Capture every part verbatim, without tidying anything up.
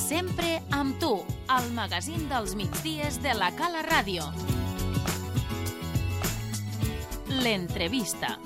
Sempre amb tu, al magazín dels migdies de la Cala Ràdio. L'entrevista.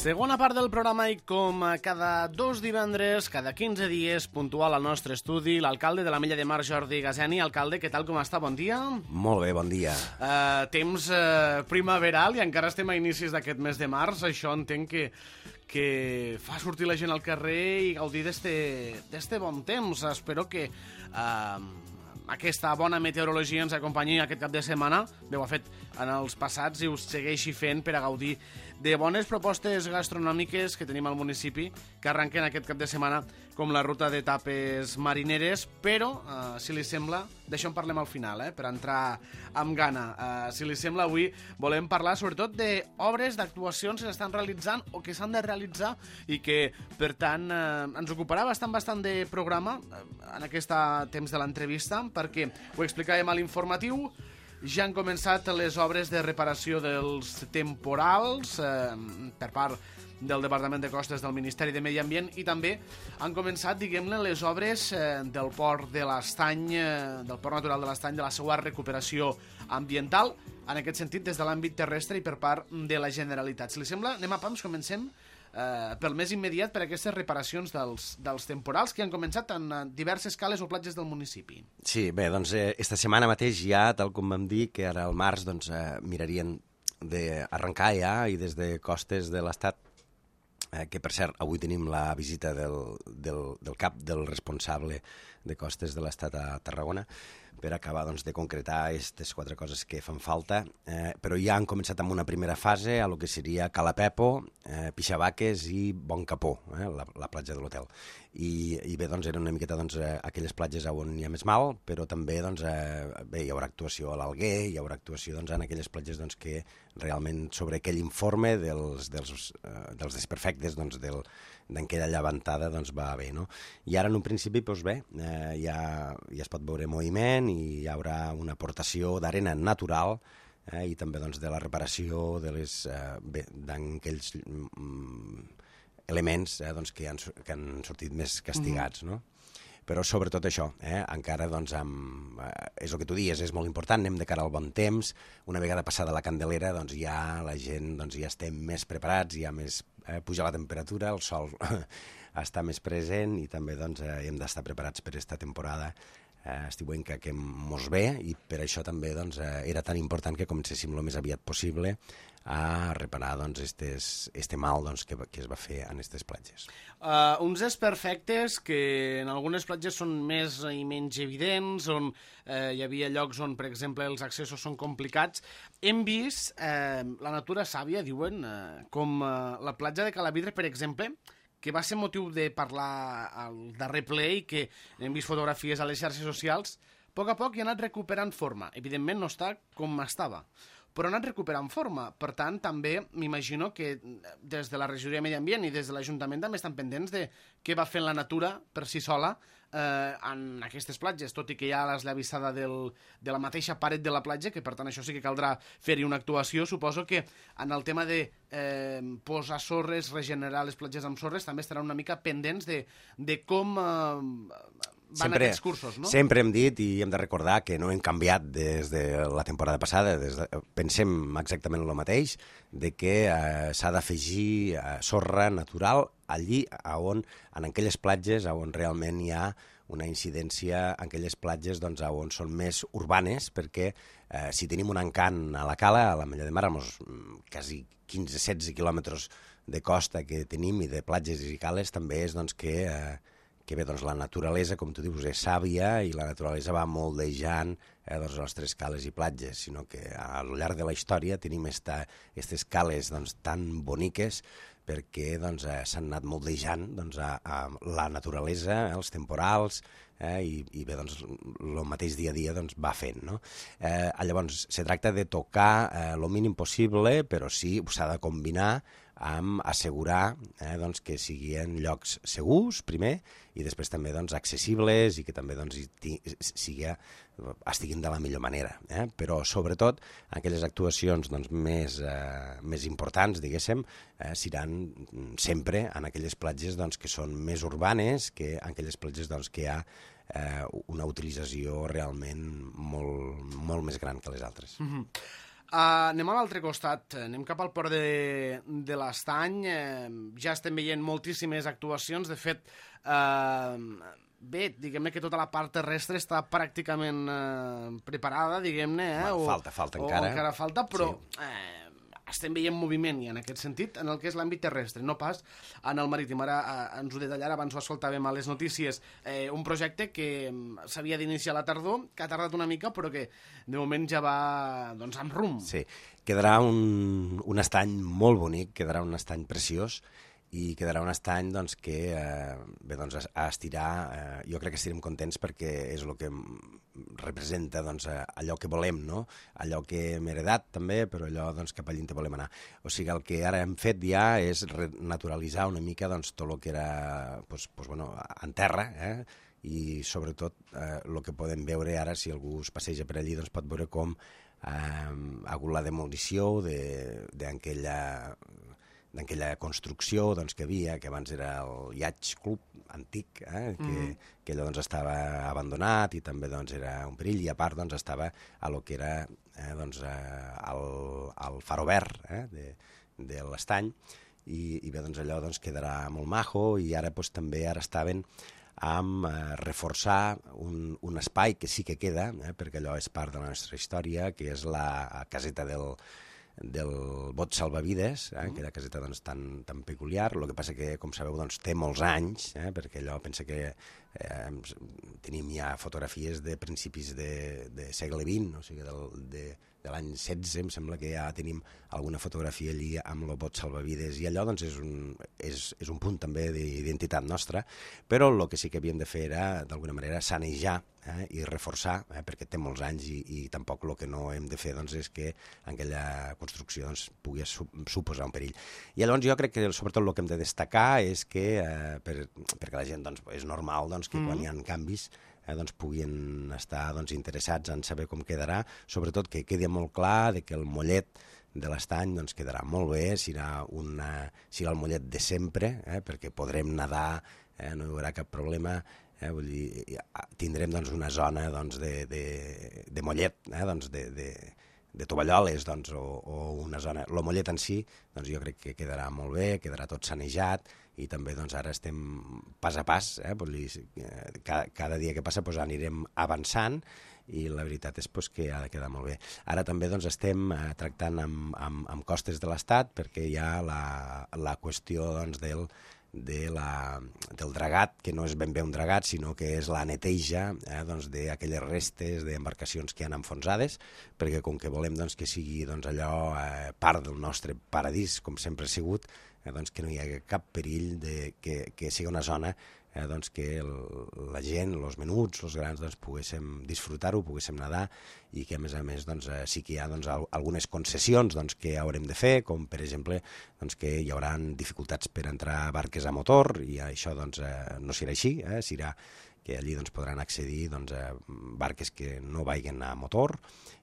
Segona part del programa i com cada dos divendres, cada quinze dies, puntual al nostre estudi, l'alcalde de l'Ametlla de Mar, Jordi Gazeni. Alcalde, què tal, com està? Bon dia. Molt bé, bon dia. Uh, temps uh, primaveral i encara estem a inicis d'aquest mes de març. Això entenc que, que fa sortir la gent al carrer i gaudir d'este bon temps. Espero que uh, aquesta bona meteorologia ens acompanyi aquest cap de setmana. Bé, ho ha fet en els passats i us segueixi fent per a gaudir de bones propostes gastronòmiques que tenim al municipi, que arrenquen aquest cap de setmana, com la ruta de tapes marineres, però, eh, si li sembla, d'això en parlem al final, eh, per entrar amb gana. Eh, si li sembla, avui volem parlar sobretot d'obres, d'actuacions que s'estan realitzant o que s'han de realitzar i que, per tant, eh, ens ocuparà bastant, bastant de programa eh, en aquest temps de l'entrevista, perquè ho explicàvem a l'informatiu. Ja han començat les obres de reparació dels temporals eh, per part del Departament de Costes del Ministeri de Medi Ambient i també han començat, diguem-ne, les obres eh, del port de l'Estany, eh, del port natural de l'Estany, de la seva recuperació ambiental, en aquest sentit des de l'àmbit terrestre i per part de la Generalitat. Si li sembla, anem a pams, comencem eh, pel més immediat per aquestes reparacions dels, dels temporals que han començat en diverses cales o platges del municipi. Sí, bé, doncs eh, esta setmana mateix ja, tal com vam dir, que ara al març doncs, eh, mirarien d'arrencar ja i des de costes de l'Estat, eh, que per cert avui tenim la visita del, del, del cap del responsable de costes de l'Estat a Tarragona, per acabar doncs, de concretar aquestes quatre coses que fan falta, eh, però ja han començat amb una primera fase a lo que seria Cala Pepo, eh, Pixabaques i Bon Capó, eh, la, la platja de l'hotel. I, i bé, doncs, eren una miqueta doncs, eh, aquelles platges on hi ha més mal, però també doncs, eh, bé, hi haurà actuació a l'Alguer, hi haurà actuació doncs, en aquelles platges doncs, que realment sobre aquell informe dels, dels, eh, dels desperfectes doncs, del, d'aquella llevantada doncs, va bé, no? I ara en un principi doncs, bé, eh, ja, ja es pot veure moviment i hi haurà una aportació d'arena natural eh, i també doncs, de la reparació de les, eh, bé, d'aquells mm, elements eh, doncs, que, han, que han sortit més castigats, mm-hmm. no? Però sobretot això, eh? encara doncs, amb, eh, és el que tu dius, és molt important, anem de cara al bon temps, una vegada passada la Candelera doncs, ja la gent doncs, ja estem més preparats, ja més eh, puja la temperatura, el sol està més present i també doncs, eh, hem d'estar preparats per aquesta temporada eh, estiuenca que mos ve i per això també doncs, eh, era tan important que comencéssim el més aviat possible a reparar doncs, estes, este mal doncs, que, que es va fer en aquestes platges. Uh, uns desperfectes que en algunes platges són més i menys evidents, on uh, hi havia llocs on, per exemple, els accessos són complicats. Hem vist uh, la natura sàvia, diuen, uh, com uh, la platja de Calavidre, per exemple, que va ser motiu de parlar al darrer ple i que hem vist fotografies a les xarxes socials, a poc a poc hi ha anat recuperant forma. Evidentment no està com estava, però ha anat recuperant forma. Per tant, també m'imagino que des de la regidoria de Medi Ambient i des de l'Ajuntament també estan pendents de què va fent la natura per si sola eh, en aquestes platges, tot i que hi ha l'esllavissada del, de la mateixa paret de la platja, que per tant això sí que caldrà fer-hi una actuació. Suposo que en el tema de eh, posar sorres, regenerar les platges amb sorres, també estaran una mica pendents de, de com eh, van sempre, aquests cursos, no? Sempre hem dit i hem de recordar que no hem canviat des de la temporada passada, des de, pensem exactament el mateix, de que eh, s'ha d'afegir eh, sorra natural allí on, en aquelles platges on realment hi ha una incidència, en aquelles platges doncs, on són més urbanes, perquè eh, si tenim un encant a la cala, a l'Ametlla de Mar, amb els quasi quinze setze quilòmetres de costa que tenim i de platges i cales, també és doncs, que... Eh, que bé, doncs la naturalesa, com tu dius, és sàvia i la naturalesa va moldejant eh, doncs, les nostres cales i platges, sinó que al llarg de la història tenim aquestes cales doncs, tan boniques perquè doncs, eh, s'han anat moldejant doncs, a, a la naturalesa, eh, els temporals, eh, i, i bé, doncs, el mateix dia a dia doncs, va fent. No? Eh, llavors, se tracta de tocar el eh, mínim possible, però sí, s'ha de combinar amb assegurar eh, doncs, que siguin llocs segurs, primer, i després també doncs, accessibles i que també doncs, sigui, estiguin de la millor manera. Eh? Però, sobretot, aquelles actuacions doncs, més, eh, més importants, diguéssim, eh, seran sempre en aquelles platges doncs, que són més urbanes, que en aquelles platges doncs, que hi ha eh, una utilització realment molt, molt més gran que les altres. Mm-hmm. Uh, anem a l'altre costat, anem cap al port de, de l'Estany, eh, ja estem veient moltíssimes actuacions, de fet, eh, bé, diguem-ne que tota la part terrestre està pràcticament eh, preparada, diguem-ne, eh, bueno, o, falta, falta o encara. encara falta, però sí. eh, estem veient moviment i en aquest sentit, en el que és l'àmbit terrestre, no pas en el marítim. Ara eh, ens ho detallarà, abans ho escoltàvem a les notícies, eh, un projecte que s'havia d'iniciar a la tardor, que ha tardat una mica, però que de moment ja va doncs, amb rumb. Sí, quedarà un, un estany molt bonic, quedarà un estany preciós, i quedarà un estany doncs, que eh, bé, doncs, a estirar, eh, jo crec que estarem contents perquè és el que representa doncs, allò que volem, no? Allò que hem heredat també, però allò doncs, cap allà on volem anar. O sigui, el que ara hem fet ja és naturalitzar una mica doncs, tot el que era doncs, doncs, bueno, en terra, eh? I sobretot eh, el que podem veure ara, si algú es passeja per allí, doncs pot veure com eh, ha hagut la demolició d'aquella d'aquella construcció doncs, que havia, que abans era el Yacht Club antic, eh, que, mm. que allò doncs, estava abandonat i també doncs, era un perill, i a part doncs, estava a lo que era eh, doncs, eh, el, el faro verd eh, de, de l'estany, i, i bé, doncs, allò doncs, quedarà molt majo, i ara doncs, també ara estaven amb eh, reforçar un, un espai que sí que queda, eh, perquè allò és part de la nostra història, que és la caseta del del bot salvavides, eh, aquella caseta doncs, tan, tan peculiar. El que passa que, com sabeu, doncs, té molts anys, eh, perquè allò pensa que eh, tenim ja fotografies de principis de, de segle vint, o sigui, del, de, de l'any setze, em sembla que ja tenim alguna fotografia allí amb el bot salvavides, i allò doncs, és, un, és, és un punt també d'identitat nostra, però el que sí que havíem de fer era, d'alguna manera, sanejar eh, i reforçar, eh, perquè té molts anys, i, i tampoc el que no hem de fer doncs, és que aquella construcció doncs, pugui su suposar un perill. I llavors jo crec que sobretot el que hem de destacar és que, eh, per, perquè la gent doncs, és normal doncs, que mm. quan hi ha canvis eh, doncs, puguin estar doncs, interessats en saber com quedarà, sobretot que quedi molt clar de que el mollet de l'estany doncs, quedarà molt bé, serà, una, serà el mollet de sempre, eh, perquè podrem nedar, eh, no hi haurà cap problema. Eh, vull dir, tindrem doncs, una zona doncs, de, de, de mollet, eh, doncs, de, de, de tovalloles, doncs, o, o una zona... El mollet en si, doncs, jo crec que quedarà molt bé, quedarà tot sanejat, i també doncs, ara estem pas a pas, eh, vull dir, cada, cada dia que passa doncs, anirem avançant, i la veritat és pues, que ha de quedar molt bé. Ara també doncs, estem eh, tractant amb, amb, amb costes de l'Estat, perquè hi ha la, la qüestió doncs, del de la, del dragat, que no és ben bé un dragat, sinó que és la neteja eh, doncs, d'aquelles restes d'embarcacions que han enfonsades, perquè com que volem doncs, que sigui doncs, allò eh, part del nostre paradís, com sempre ha sigut, eh, doncs, que no hi hagi cap perill de que, que sigui una zona eh, doncs, que el, la gent, els menuts, els grans, doncs, poguéssim disfrutar-ho, poguéssim nedar, i que a més a més doncs, eh, sí que hi ha doncs, algunes concessions doncs, que haurem de fer, com per exemple doncs, que hi haurà dificultats per entrar barques a motor, i això doncs, eh, no serà així, eh, serà que allí doncs, podran accedir doncs, a barques que no vagin a motor,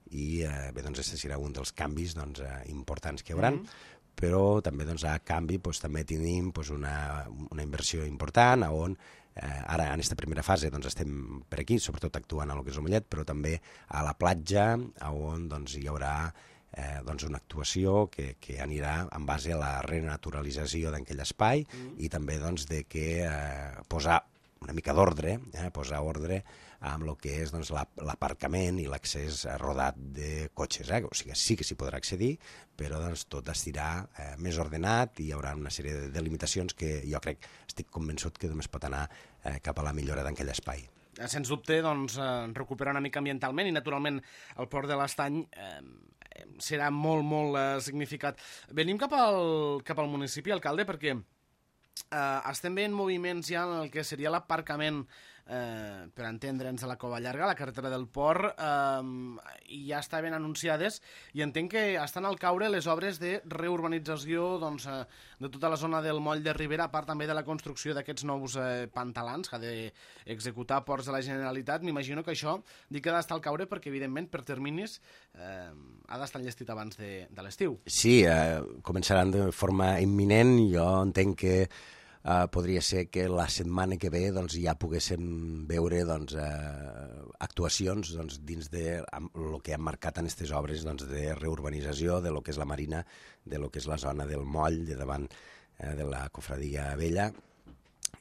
i eh, bé, doncs, aquest serà un dels canvis doncs, eh, importants que hi haurà. Mm-hmm. Però també doncs, a canvi doncs, també tenim doncs, una, una inversió important on eh, ara en aquesta primera fase doncs, estem per aquí, sobretot actuant a lo que és el mollet, però també a la platja on doncs, hi haurà eh, doncs, una actuació que, que anirà en base a la renaturalització d'aquell espai mm. i també doncs, de que eh, posar una mica d'ordre, eh, posar ordre amb el que és doncs, l'aparcament i l'accés rodat de cotxes. Eh? O sigui, sí que s'hi podrà accedir, però doncs, tot estirà eh, més ordenat, i hi haurà una sèrie de limitacions que jo crec, estic convençut que només pot anar eh, cap a la millora d'aquell espai. Sens dubte, doncs, eh, recuperar una mica ambientalment, i naturalment el port de l'Estany eh, serà molt, molt eh, significat. Venim cap al, cap al municipi, alcalde, perquè Uh, estem veient moviments ja en el que seria l'aparcament eh, per entendre'ns, a la Cova Llarga, a la carretera del Port, eh, i ja estaven anunciades, i entenc que estan al caure les obres de reurbanització doncs, eh, de tota la zona del moll de Ribera, a part també de la construcció d'aquests nous eh, pantalans que ha d'executar Ports de la Generalitat. M'imagino que això dic que ha d'estar al caure perquè, evidentment, per terminis eh, ha d'estar enllestit abans de, de l'estiu. Sí, eh, començaran de forma imminent. Jo entenc que eh, podria ser que la setmana que ve doncs, ja poguéssim veure doncs, eh, actuacions doncs, dins de el que han marcat en aquestes obres doncs, de reurbanització de lo que és la Marina, de lo que és la zona del moll, de davant eh, de la Cofradia Vella.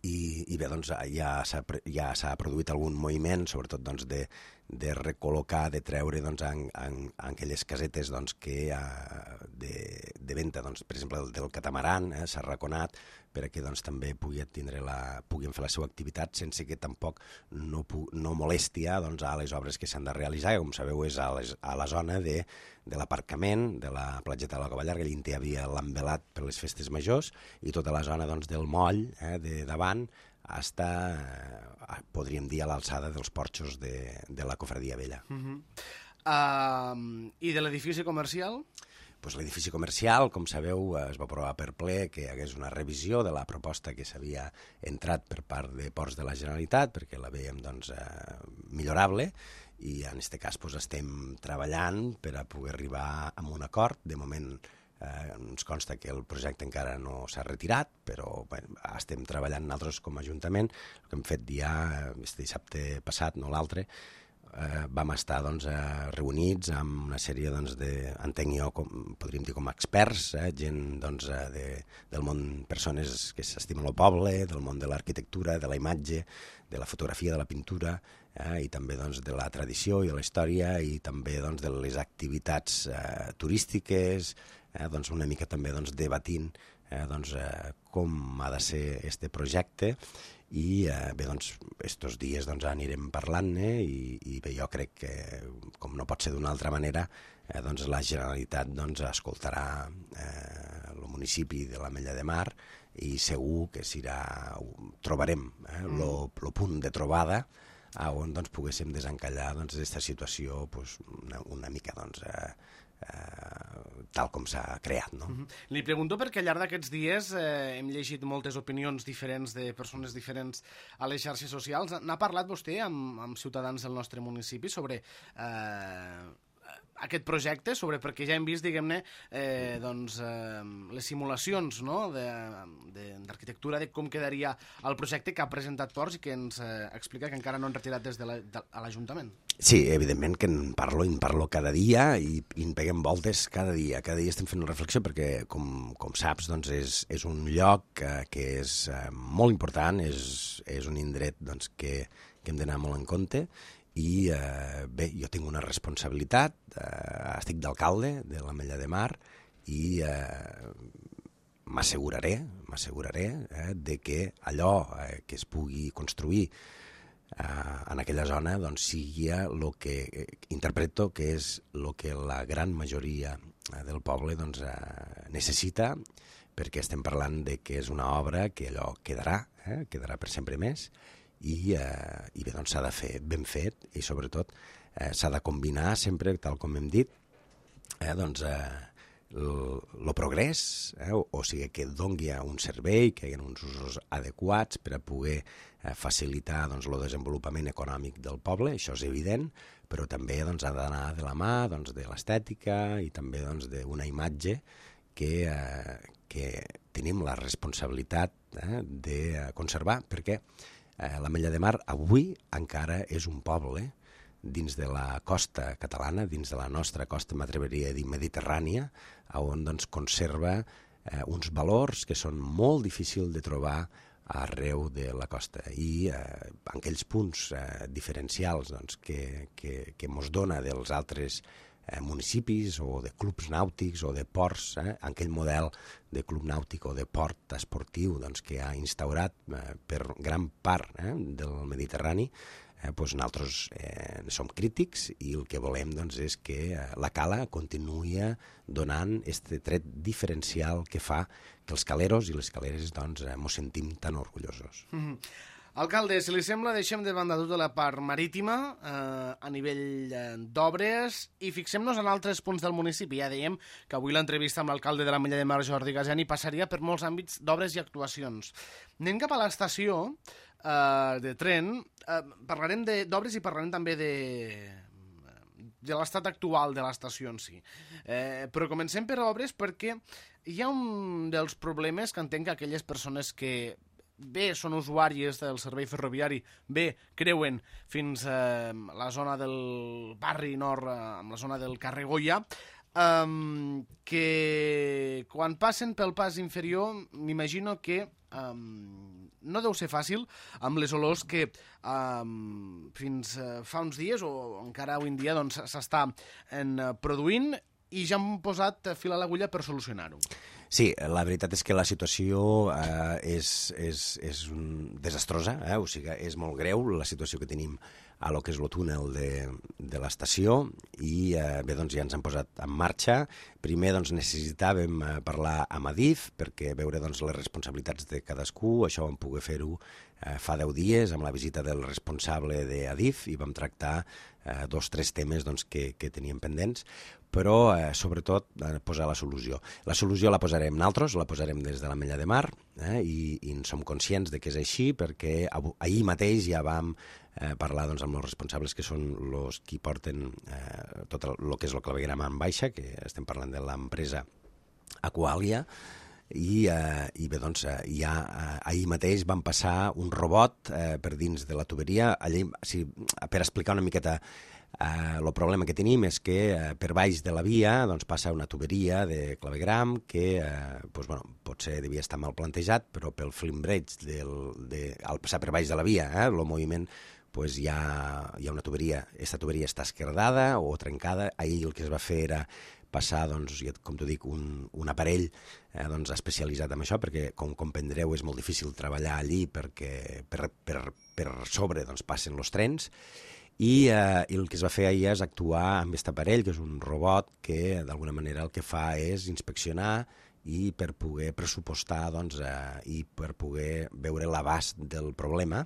I, i bé, doncs, ja s'ha ja s'ha produït algun moviment, sobretot doncs, de, de recol·locar, de treure doncs, en, en, en aquelles casetes doncs, que, uh, de, de venda, doncs, per exemple, del, del catamaran, eh, s'ha raconat perquè doncs, també pugui tindre la, puguin fer la seva activitat sense que tampoc no, no molesti doncs, a les obres que s'han de realitzar, que com sabeu és a, les, a la zona de, de l'aparcament, de la platgeta de la Cova Llarga, allà hi havia l'envelat per les festes majors, i tota la zona doncs, del moll, eh, de davant, està, eh, podríem dir, a l'alçada dels porxos de, de la Cofradia Vella. Uh-huh. uh, I de l'edifici comercial? Pues l'edifici comercial, com sabeu, es va aprovar per ple que hi hagués una revisió de la proposta que s'havia entrat per part de Ports de la Generalitat, perquè la veiem doncs, eh, millorable, i en aquest cas pues, estem treballant per a poder arribar a un acord. De moment eh, ens consta que el projecte encara no s'ha retirat, però bueno, estem treballant nosaltres com a Ajuntament. El que hem fet ja este dissabte passat, no l'altre, Eh, vam estar doncs, eh, reunits amb una sèrie doncs, de, entenc jo, com, podríem dir com a experts, eh, gent doncs, eh, de, del món, persones que s'estimen el poble, del món de l'arquitectura, de la imatge, de la fotografia, de la pintura, eh, i també doncs, de la tradició i de la història, i també doncs, de les activitats eh, turístiques, eh, doncs, una mica també doncs, debatint eh, doncs, eh, com ha de ser este projecte. I eh, bé, doncs, estos dies doncs, anirem parlant-ne i, i bé, jo crec que, com no pot ser d'una altra manera, eh, doncs, la Generalitat doncs, escoltarà eh, el municipi de l'Ametlla de Mar i segur que serà, trobarem eh, mm. lo, lo punt de trobada on doncs, poguéssim desencallar doncs, aquesta situació pues, una, una mica doncs, eh, Uh, tal com s'ha creat. No? Uh-huh. Li pregunto perquè al llarg d'aquests dies eh, hem llegit moltes opinions diferents de persones diferents a les xarxes socials. N'ha parlat vostè amb, amb ciutadans del nostre municipi sobre eh, aquest projecte, sobre perquè ja hem vist, diguem-ne, eh, doncs, eh, les simulacions no? d'arquitectura de, de, de com quedaria el projecte que ha presentat Ports i que ens eh, explica que encara no han retirat des de l'Ajuntament. Sí, evidentment que en parlo, en parlo cada dia i, i en peguem voltes cada dia. Cada dia estem fent una reflexió perquè, com, com saps, doncs és, és un lloc que, que és eh, molt important, és, és un indret doncs, que, que hem d'anar molt en compte. I eh, bé, jo tinc una responsabilitat, eh, estic d'alcalde de l'Ametlla de Mar i eh, m'asseguraré m'asseguraré eh, de que allò eh, que es pugui construir eh, en aquella zona doncs, sigui el que eh, interpreto que és el que la gran majoria eh, del poble doncs, eh, necessita, perquè estem parlant de que és una obra que allò quedarà, eh, quedarà per sempre més. I, eh, i bé, doncs s'ha de fer ben fet i sobretot eh, s'ha de combinar sempre, tal com hem dit, eh, doncs eh, el progrés, eh, o, o sigui que dongui un servei, que hi ha uns usos adequats per a poder eh, facilitar doncs, el desenvolupament econòmic del poble, això és evident, però també doncs, ha d'anar de la mà doncs, de l'estètica i també doncs, d'una imatge que, eh, que tenim la responsabilitat eh, de conservar, perquè Eh, l'Ametlla de Mar avui encara és un poble dins de la costa catalana, dins de la nostra costa, m'atreviria a dir, mediterrània, on doncs, conserva eh, uns valors que són molt difícils de trobar arreu de la costa. I eh, en aquells punts eh, diferencials doncs, que, que, que mos dona dels altres eh, municipis o de clubs nàutics o de ports, eh, aquell model de club nàutic o de port esportiu doncs, que ha instaurat eh, per gran part eh, del Mediterrani, eh, doncs nosaltres eh, som crítics i el que volem doncs, és que eh, la cala continuï donant aquest tret diferencial que fa que els caleros i les caleres doncs, eh, mos sentim tan orgullosos. Mm-hmm. Alcalde, si li sembla, deixem de banda tota la part marítima eh, a nivell eh, d'obres i fixem-nos en altres punts del municipi. Ja dèiem que avui l'entrevista amb l'alcalde de l'Ametlla de Mar, Jordi Gasiani, passaria per molts àmbits d'obres i actuacions. Anem cap a l'estació eh, de tren. Eh, parlarem d'obres i parlarem també de, de l'estat actual de l'estació en si. Eh, però comencem per obres perquè hi ha un dels problemes que entenc que aquelles persones que bé són usuàries del servei ferroviari, bé creuen fins a eh, la zona del barri nord, eh, amb la zona del carrer Goya, eh, que quan passen pel pas inferior m'imagino que eh, no deu ser fàcil amb les olors que eh, fins eh, fa uns dies o encara avui en dia doncs, s'està eh, produint i ja han posat fil a l'agulla per solucionar-ho. Sí, la veritat és que la situació eh, és, és, és un, desastrosa, eh? O sigui, és molt greu la situació que tenim a lo que és el túnel de, de l'estació i eh, bé, doncs ja ens han posat en marxa. Primer doncs, necessitàvem eh, parlar amb Adif perquè veure doncs, les responsabilitats de cadascú, això vam poder fer-ho eh, fa deu dies amb la visita del responsable d'Adif i vam tractar eh, dos o tres temes doncs, que, que teníem pendents, però eh, sobretot eh, posar la solució. La solució la posarem nosaltres, la posarem des de l'Ametlla de Mar eh, i, i en som conscients de que és així perquè ahir mateix ja vam eh, parlar doncs, amb els responsables que són els qui porten eh, tot el que és el clavegueram en baixa, que estem parlant de l'empresa Aqualia, i, eh, i bé, doncs, eh, ja eh, ahir mateix van passar un robot eh, per dins de la tuberia. Allí, sí, per explicar una miqueta eh, el problema que tenim és que eh, per baix de la via doncs, passa una tuberia de clavegram que eh, doncs, bueno, potser devia estar mal plantejat, però pel flimbrage del, de, al passar per baix de la via, eh, el moviment pues hi ha, hi ha una tuberia, aquesta tuberia està esquerdada o trencada. Ahir el que es va fer era passar, doncs, com t'ho dic, un, un aparell eh, doncs, especialitzat en això, perquè, com comprendreu, és molt difícil treballar allí perquè per, per, per sobre doncs, passen els trens, i, eh, i el que es va fer ahir és actuar amb aquest aparell, que és un robot que, d'alguna manera, el que fa és inspeccionar i per poder pressupostar doncs, eh, i per poder veure l'abast del problema,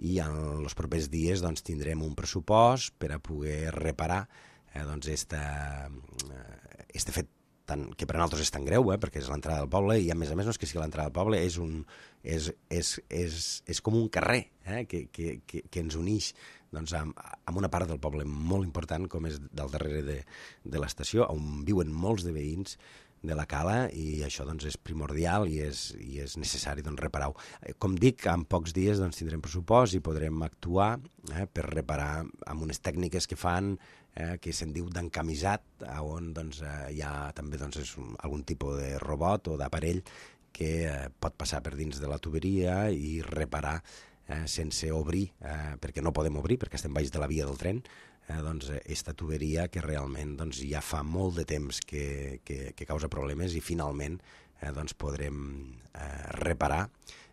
i en els propers dies doncs, tindrem un pressupost per a poder reparar eh, doncs, este, eh, este fet tan, que per a nosaltres és tan greu, eh, perquè és l'entrada del poble, i a més a més no és que sigui l'entrada del poble, és, un, és, és, és, és com un carrer eh, que, que, que, que ens uneix doncs, amb, amb una part del poble molt important com és del darrere de, de l'estació, on viuen molts de veïns de la cala, i això doncs, és primordial i és, i és necessari doncs, reparar-ho. Com dic, en pocs dies doncs, tindrem pressupost i podrem actuar eh, per reparar amb unes tècniques que fan eh, que se'n diu d'encamisat, on doncs, eh, hi ha també doncs, és un, algun tipus de robot o d'aparell que eh, pot passar per dins de la tuberia i reparar eh, sense obrir, eh, perquè no podem obrir, perquè estem baix de la via del tren, Eh, doncs, esta tuberia que realment doncs, ja fa molt de temps que, que, que causa problemes, i finalment eh, doncs, podrem eh, reparar,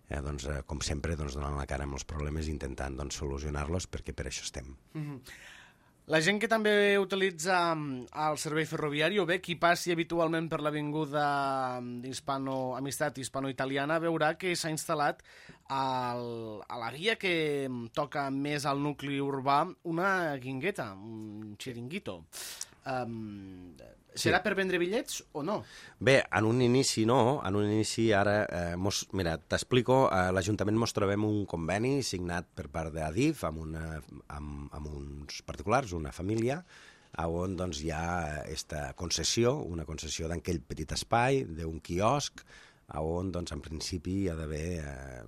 eh, doncs, eh, com sempre, doncs, donant la cara amb els problemes i intentant doncs, solucionar-los, perquè per això estem. Mm-hmm. La gent que també utilitza el servei ferroviari, o bé qui passi habitualment per l'avinguda d'Hispano, Amistat hispano-italiana, veurà que s'ha instal·lat al, a la via que toca més al nucli urbà una guingueta, un xiringuito. Um, serà sí. Per vendre bitllets o no? Bé, en un inici no, en un inici ara, eh, mos, mira, t'explico, eh, l'Ajuntament mos trobem un conveni signat per part d'Adif amb, una, amb, amb uns particulars, una família, on doncs, hi ha aquesta concessió, una concessió d'aquell petit espai, d'un quiosc, on doncs, en principi hi ha d'haver eh,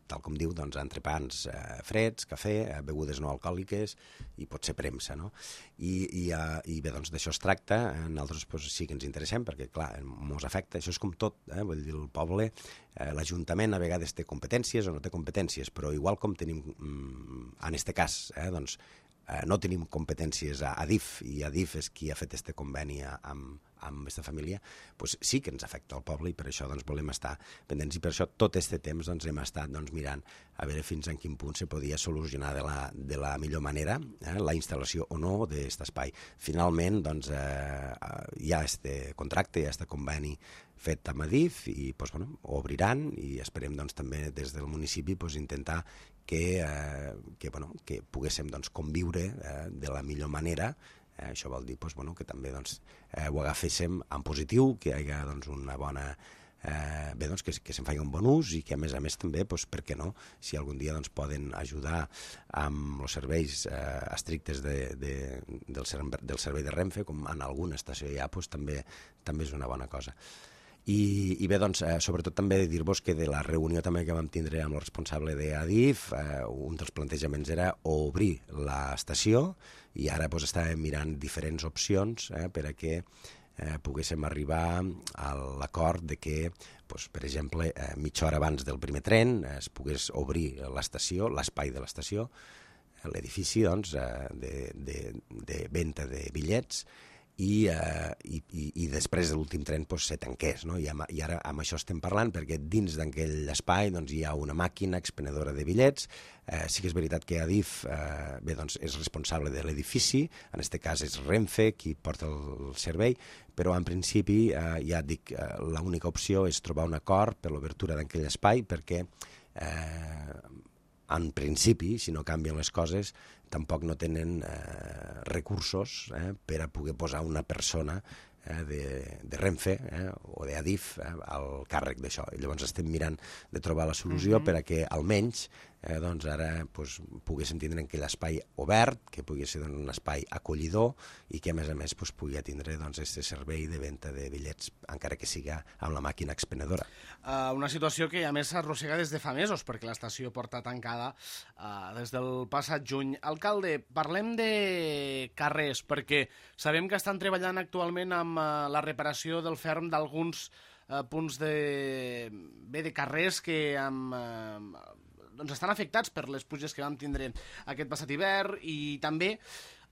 tal com diu, doncs, entrepans eh, freds, cafè, eh, begudes no alcohòliques i potser premsa, no? I, i, uh, i bé, doncs, d'això es tracta. A nosaltres pues, sí que ens interessem, perquè, clar, mos afecta. Això és com tot, eh? Vull dir, el poble, eh, l'Ajuntament a vegades té competències o no té competències, però igual com tenim, mm, en este cas, eh, doncs, eh, no tenim competències a Adif, i Adif és qui ha fet este conveni amb amb aquesta família, doncs sí que ens afecta el poble i per això doncs, volem estar pendents i per això tot aquest temps doncs, hem estat doncs, mirant a veure fins en quin punt se podia solucionar de la, de la millor manera eh, la instal·lació o no d'aquest espai. Finalment doncs, eh, hi ha este contracte, hi ha este conveni fet amb Adif i doncs, bueno, ho obriran i esperem doncs, també des del municipi doncs, intentar que, eh, que, bueno, que poguéssim doncs, conviure eh, de la millor manera. Eh, això vol dir doncs, bueno, que també doncs, eh, ho agaféssim en positiu, que hi hagi doncs, una bona... Eh, bé, doncs, que, que se'n faci un bon ús i que a més a més també, doncs, per què no, si algun dia doncs, poden ajudar amb els serveis eh, estrictes de, de, del, servei, del servei de Renfe, com en alguna estació hi ha, doncs, també, també és una bona cosa. I, i bé, doncs, eh, sobretot també dir-vos que de la reunió també que vam tindre amb el responsable d'Adif, eh, un dels plantejaments era obrir l'estació i ara doncs, estàvem mirant diferents opcions eh, per a que eh, poguéssim arribar a l'acord de que, doncs, per exemple, eh, mitja hora abans del primer tren eh, es pogués obrir l'estació, l'espai de l'estació, l'edifici doncs, eh, de, de, de venda de bitllets, i, eh, i, i, i després de l'últim tren doncs, se tanqués. No? I, amb, I ara amb això estem parlant perquè dins d'aquell espai doncs, hi ha una màquina expenedora de bitllets. Eh, sí que és veritat que Adif eh, bé, doncs, és responsable de l'edifici, en aquest cas és Renfe qui porta el servei, però en principi eh, ja dic, eh, l'única opció és trobar un acord per l'obertura d'aquell espai perquè eh, en principi, si no canvien les coses, tampoc no tenen eh, recursos eh, per a poder posar una persona eh, de, de Renfe eh, o d'Adif eh, al càrrec d'això. I llavors estem mirant de trobar la solució mm-hmm. per a que almenys eh, doncs ara doncs, poguéssim tindre aquell espai obert, que pugui ser doncs, un espai acollidor i que a més a més doncs, pugui tindre doncs, este servei de venda de bitllets, encara que siga amb la màquina expenedora. Uh, una situació que a més s'arrossega des de fa mesos, perquè l'estació porta tancada uh, des del passat juny. Alcalde, parlem de carrers, perquè sabem que estan treballant actualment amb uh, la reparació del ferm d'alguns uh, punts de, bé, de carrers que amb, uh, doncs estan afectats per les pluges que vam tindre aquest passat hivern i també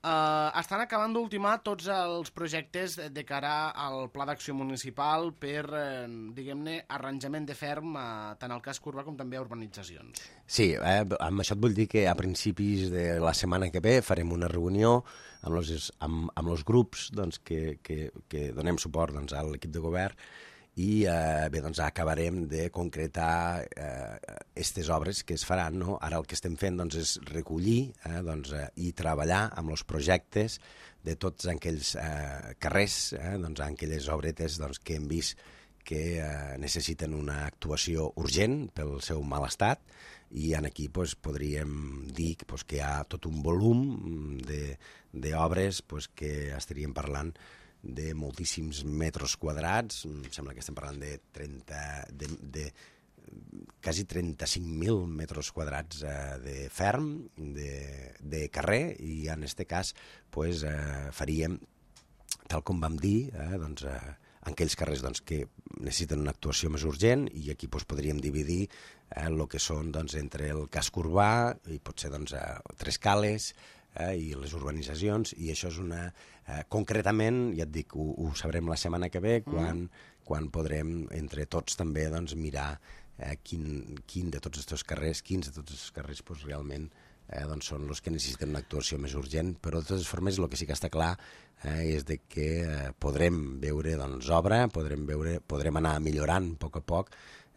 Uh, estan acabant d'ultimar tots els projectes de cara al pla d'acció municipal per, eh, diguem-ne, arranjament de ferm a, tant al casc urbà com també a urbanitzacions. Sí, eh, amb això et vull dir que a principis de la setmana que ve farem una reunió amb els, amb, amb els grups doncs, que, que, que donem suport doncs, a l'equip de govern i eh, bé, doncs, acabarem de concretar aquestes eh, obres que es faran. No? Ara el que estem fent doncs, és recollir eh, doncs, eh, i treballar amb els projectes de tots aquells eh, carrers, eh, doncs, aquelles obretes doncs, que hem vist que eh, necessiten una actuació urgent pel seu mal estat i en aquí doncs, podríem dir doncs, que hi ha tot un volum d'obres doncs, que estaríem parlant de moltíssims metres quadrats, em sembla que estem parlant de trenta, de, de quasi trenta-cinc mil metres quadrats eh, de ferm, de, de carrer, i en aquest cas pues, eh, faríem, tal com vam dir, eh, doncs, eh, en aquells carrers doncs, que necessiten una actuació més urgent, i aquí doncs, podríem dividir eh, el que són doncs, entre el casc urbà i potser doncs, eh, tres cales, Eh, i les urbanitzacions, i això és una... Eh, concretament, ja et dic, ho, ho sabrem la setmana que ve, quan, mm. quan podrem, entre tots, també doncs, mirar eh, quin, quin de tots aquests carrers, quins de tots aquests carrers pues, realment eh, doncs, són els que necessiten una actuació més urgent, però de totes formes el que sí que està clar eh, és de que eh, podrem veure doncs, obra, podrem, veure, podrem anar millorant a poc a poc,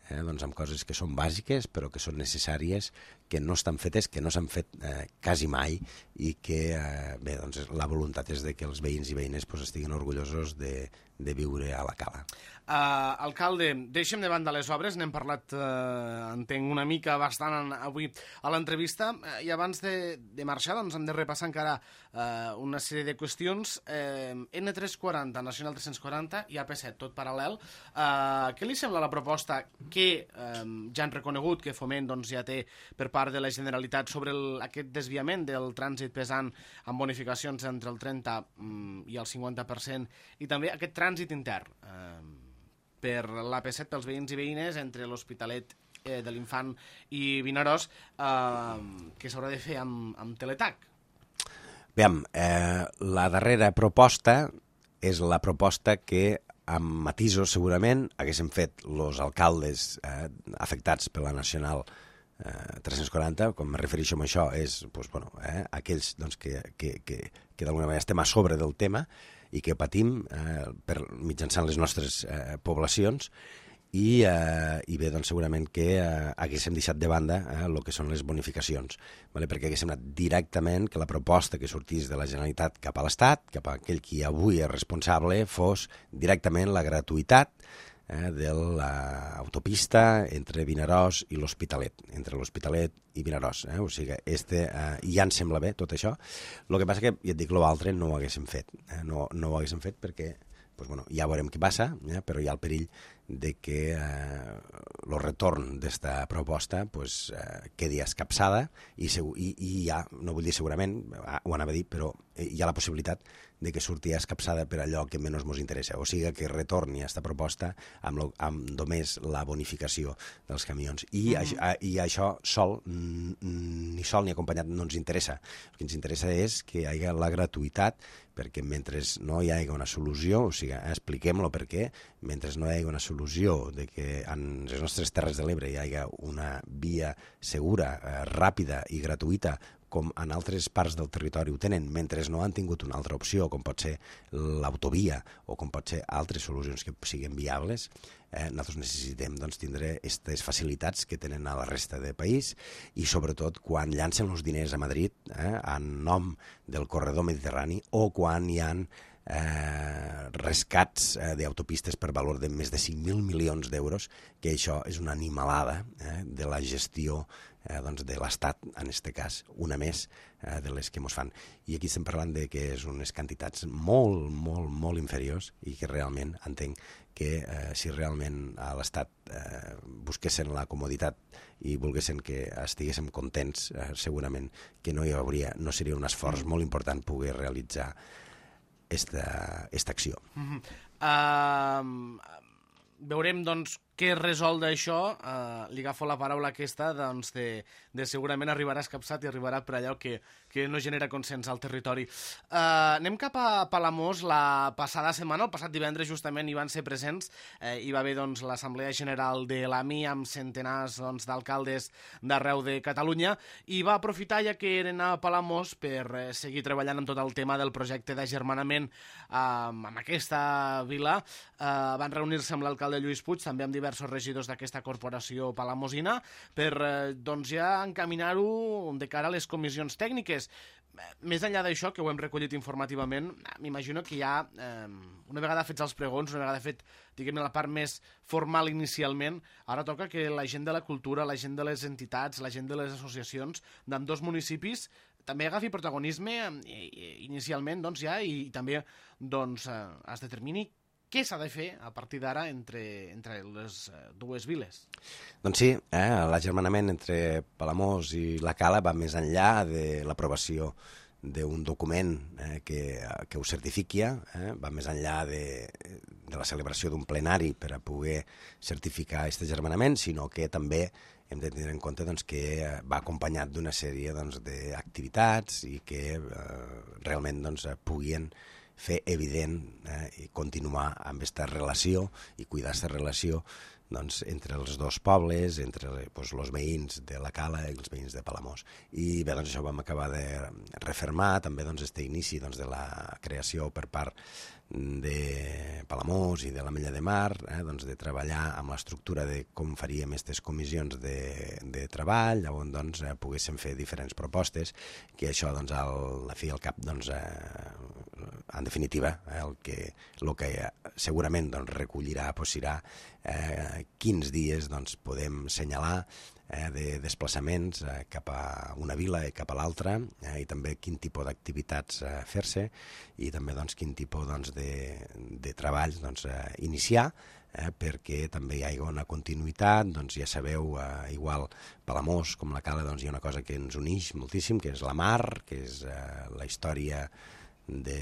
Eh, doncs amb coses que són bàsiques però que són necessàries, que no estan fetes, que no s'han fet eh, quasi mai i que eh, bé, doncs la voluntat és de que els veïns i veïnes pues, estiguin orgullosos de, de viure a la cala. Uh, alcalde, deixem de banda les obres, n'hem parlat, uh, entenc, una mica bastant en, avui a l'entrevista, uh, i abans de, de marxar doncs hem de repassar encara uh, una sèrie de qüestions. Uh, N tres quaranta, Nacional tres-cents quaranta i A P set, tot paral·lel. Uh, què li sembla la proposta que um, ja han reconegut que Foment doncs, ja té per part de la Generalitat sobre el, aquest desviament del trànsit pesant amb bonificacions entre el trenta um, i el cinquanta per cent, i també aquest trànsit intern uh, per l'A P set pels veïns i veïnes entre l'Hospitalet eh, de l'Infant i Vinaròs, eh, que s'haurà de fer amb, amb teletac? Veiem, eh, la darrera proposta és la proposta que, amb matisos segurament, haguéssim fet els alcaldes eh, afectats per la Nacional eh, tres-cents quaranta. Quan me refereixo a això és doncs, bueno, eh, aquells doncs, que, que, que, que d'alguna manera estem a sobre del tema i que patim eh, per, mitjançant les nostres eh, poblacions. I, eh, i bé, doncs segurament que eh, haguéssim deixat de banda el eh, que són les bonificacions, vale? Perquè haguéssim anat directament que la proposta que sortís de la Generalitat cap a l'Estat, cap a aquell qui avui és responsable, fos directament la gratuïtat eh, de l'autopista entre Vinaròs i l'Hospitalet, entre l'Hospitalet i Vinaròs. Eh? O sigui, este, eh, ja ens sembla bé tot això. El que passa que, ja et dic, l'altre no ho haguéssim fet. Eh? No, no ho haguéssim fet perquè pues bueno, ja veurem què passa, eh? Però hi ha el perill de que el eh, retorn d'esta proposta pues, eh, quedi escapçada i, i, i ja, no vull dir segurament, ho anava a dir, però hi ha la possibilitat de que surti escapçada per allò que menys ens interessa, o sigui que retorni a aquesta proposta amb, lo, amb només la bonificació dels camions. I, mm. a, i això sol, ni sol ni acompanyat, no ens interessa. El que ens interessa és que hi hagi la gratuïtat, perquè mentre no hi hagi una solució, o sigui, expliquem-lo per què, mentre no hi hagi una solució de que en les nostres Terres de l'Ebre hi hagi una via segura, eh, ràpida i gratuïta, com en altres parts del territori ho tenen, mentre no han tingut una altra opció, com pot ser l'autovia o com pot ser altres solucions que siguin viables, eh, nosaltres necessitem doncs, tindre aquestes facilitats que tenen a la resta del país i sobretot quan llancen els diners a Madrid eh, en nom del corredor mediterrani o quan hi ha eh, rescats eh, d'autopistes per valor de més de cinc mil milions d'euros, que això és una animalada eh, de la gestió Eh, doncs de l'Estat, en aquest cas, una més eh, de les que ens fan. I aquí estem parlant de que és unes quantitats molt, molt, molt inferiors i que realment entenc que eh, si realment a l'Estat eh, busquessin la comoditat i volguessin que estiguéssim contents, eh, segurament que no hi hauria, no seria un esforç molt important poder realitzar esta, esta acció. Mm-hmm. Uh, veurem, doncs, què resol d'això. Uh, li agafo la paraula aquesta, doncs, de, de segurament arribarà escapçat i arribarà per allò que, que no genera consens al territori. Uh, anem cap a Palamós. La passada setmana, el passat divendres, justament, hi van ser presents. Eh, hi va haver, doncs, l'Assemblea General de l'A M I amb centenars doncs, d'alcaldes d'arreu de Catalunya i va aprofitar, ja que eren a Palamós, per eh, seguir treballant amb tot el tema del projecte d'agermanament eh, amb aquesta vila. Uh, van reunir-se amb l'alcalde Lluís Puig, també amb diversos regidors d'aquesta corporació palamosina, per eh, doncs ja encaminar-ho de cara a les comissions tècniques. Més enllà d'això, que ho hem recollit informativament, m'imagino que ja, eh, una vegada fets els pregons, una vegada fet, diguem-ne, la part més formal inicialment, ara toca que la gent de la cultura, la gent de les entitats, la gent de les associacions d'ambdós municipis també agafi protagonisme eh, inicialment, doncs, ja, i, i també doncs, eh, es determini què s'ha de fer a partir d'ara entre, entre les dues viles? Doncs sí, eh, l'agermanament entre Palamós i la Cala va més enllà de l'aprovació d'un document eh, que, que ho certifiqui, eh, va més enllà de, de la celebració d'un plenari per a poder certificar aquest agermanament, sinó que també hem de tenir en compte doncs, que va acompanyat d'una sèrie doncs, d'activitats i que eh, realment doncs, puguin fer evident eh, i continuar amb aquesta relació i cuidar aquesta relació doncs, entre els dos pobles, entre doncs, els veïns de la Cala i els veïns de Palamós. I bé, doncs, això vam acabar de refermar també doncs, este inici doncs, de la creació per part de Palamós i de l'Ametlla de Mar, eh, doncs, de treballar amb l'estructura de com faríem aquestes comissions de, de treball, on doncs, eh, poguéssim fer diferents propostes, que això doncs, al, a fi al cap doncs, eh, en definitiva eh, el, que, el que segurament doncs, recollirà doncs, serà eh, quins dies doncs, podem assenyalar eh, de desplaçaments eh, cap a una vila i cap a l'altra, eh, i també quin tipus d'activitats eh, fer-se i també doncs, quin tipus doncs, de, de treballs doncs, eh, iniciar, eh, perquè també hi ha una continuïtat. Doncs, ja sabeu, eh, igual Palamós com la Cala doncs, hi ha una cosa que ens uneix moltíssim, que és la mar, que és eh, la història de,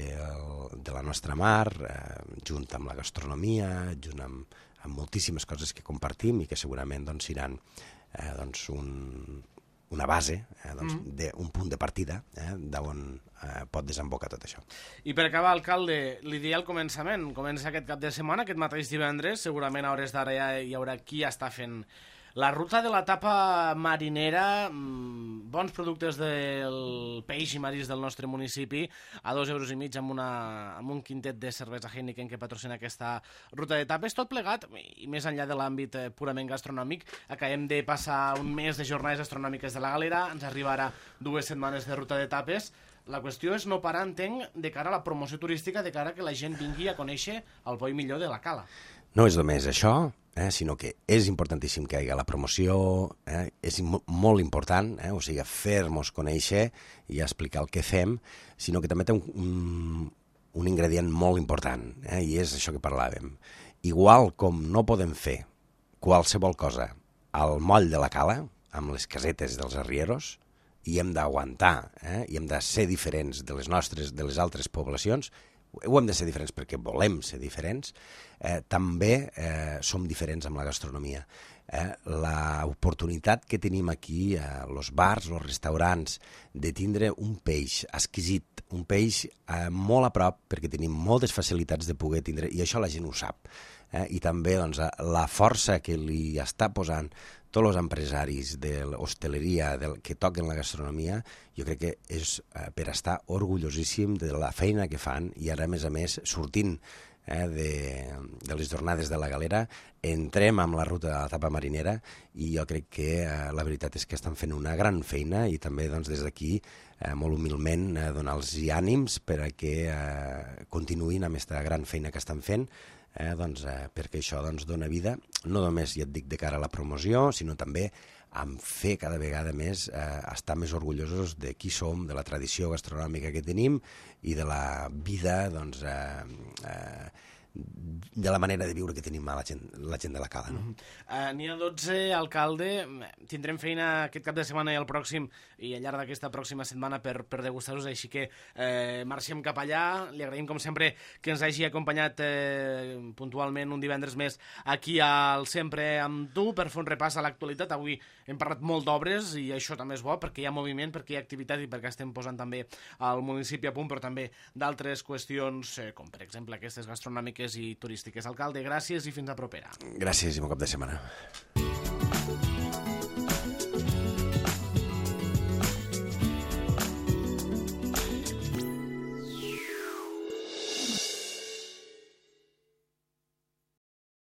de la nostra mar, eh, junt amb la gastronomia, junt amb, amb moltíssimes coses que compartim i que segurament doncs, seran eh, doncs un, una base, eh, doncs, mm. de, un punt de partida eh, d'on eh, pot desembocar tot això. I per acabar, alcalde, li deia al començament, comença aquest cap de setmana, aquest mateix divendres, segurament a hores d'ara ja hi haurà qui està fent la ruta de la tapa marinera, mmm, bons productes del peix i maris del nostre municipi, a dos euros i mig amb, una, amb un quintet de cervesa Heineken que patrocina aquesta ruta de tapes, tot plegat, i més enllà de l'àmbit eh, purament gastronòmic, acabem de passar un mes de jornades gastronòmiques de la Galera, ens arriba ara dues setmanes de ruta de tapes. La qüestió és no parar, entenc, de cara a la promoció turística, de cara a que la gent vingui a conèixer el bo i millor de la Cala. No és només això, eh, sinó que és importantíssim que hi hagi la promoció, eh, és mo molt important, eh, o sigui, fer-nos conèixer i explicar el que fem, sinó que també té un, un, un ingredient molt important, eh, i és això que parlàvem. Igual com no podem fer qualsevol cosa al moll de la Cala, amb les casetes dels arrieros, i hem d'aguantar, eh, i hem de ser diferents de les nostres, de les altres poblacions, ho hem de ser diferents perquè volem ser diferents, eh, també eh, som diferents amb la gastronomia. Eh, l'oportunitat que tenim aquí, a eh, los bars, los restaurants, de tindre un peix exquisit, un peix eh, molt a prop, perquè tenim moltes facilitats de poder tindre, i això la gent ho sap. Eh, I també doncs, la força que li està posant tots els empresaris de l'hostaleria que toquen la gastronomia, jo crec que és eh, per estar orgullosíssim de la feina que fan, i ara, a més a més, sortint eh, de, de les jornades de la Galera, entrem amb la ruta de la tapa marinera, i jo crec que eh, la veritat és que estan fent una gran feina, i també doncs, des d'aquí, eh, molt humilment, eh, donar-los ànims per a que eh, continuïn amb aquesta gran feina que estan fent, Eh, doncs, eh, perquè això doncs, dona vida, no només, ja et dic, de cara a la promoció, sinó també amb fer cada vegada més, eh, estar més orgullosos de qui som, de la tradició gastronòmica que tenim i de la vida, doncs, eh, eh, de la manera de viure que tenim a la gent, la gent de la Cala. No? Mm -hmm. uh, N'hi ha dotze, alcalde. Tindrem feina aquest cap de setmana i el pròxim, i al llarg d'aquesta pròxima setmana per, per degustar-los, així que eh, marxem cap allà. Li agraïm, com sempre, que ens hagi acompanyat eh, puntualment un divendres més aquí al Sempre amb tu per fer un repàs a l'actualitat. Avui hem parlat molt d'obres, i això també és bo, perquè hi ha moviment, perquè hi ha activitat i perquè estem posant també al municipi a punt, però també d'altres qüestions, eh, com per exemple aquestes gastronòmiques i turístiques. Alcalde, gràcies i fins a propera. Gràcies i bon cap de setmana.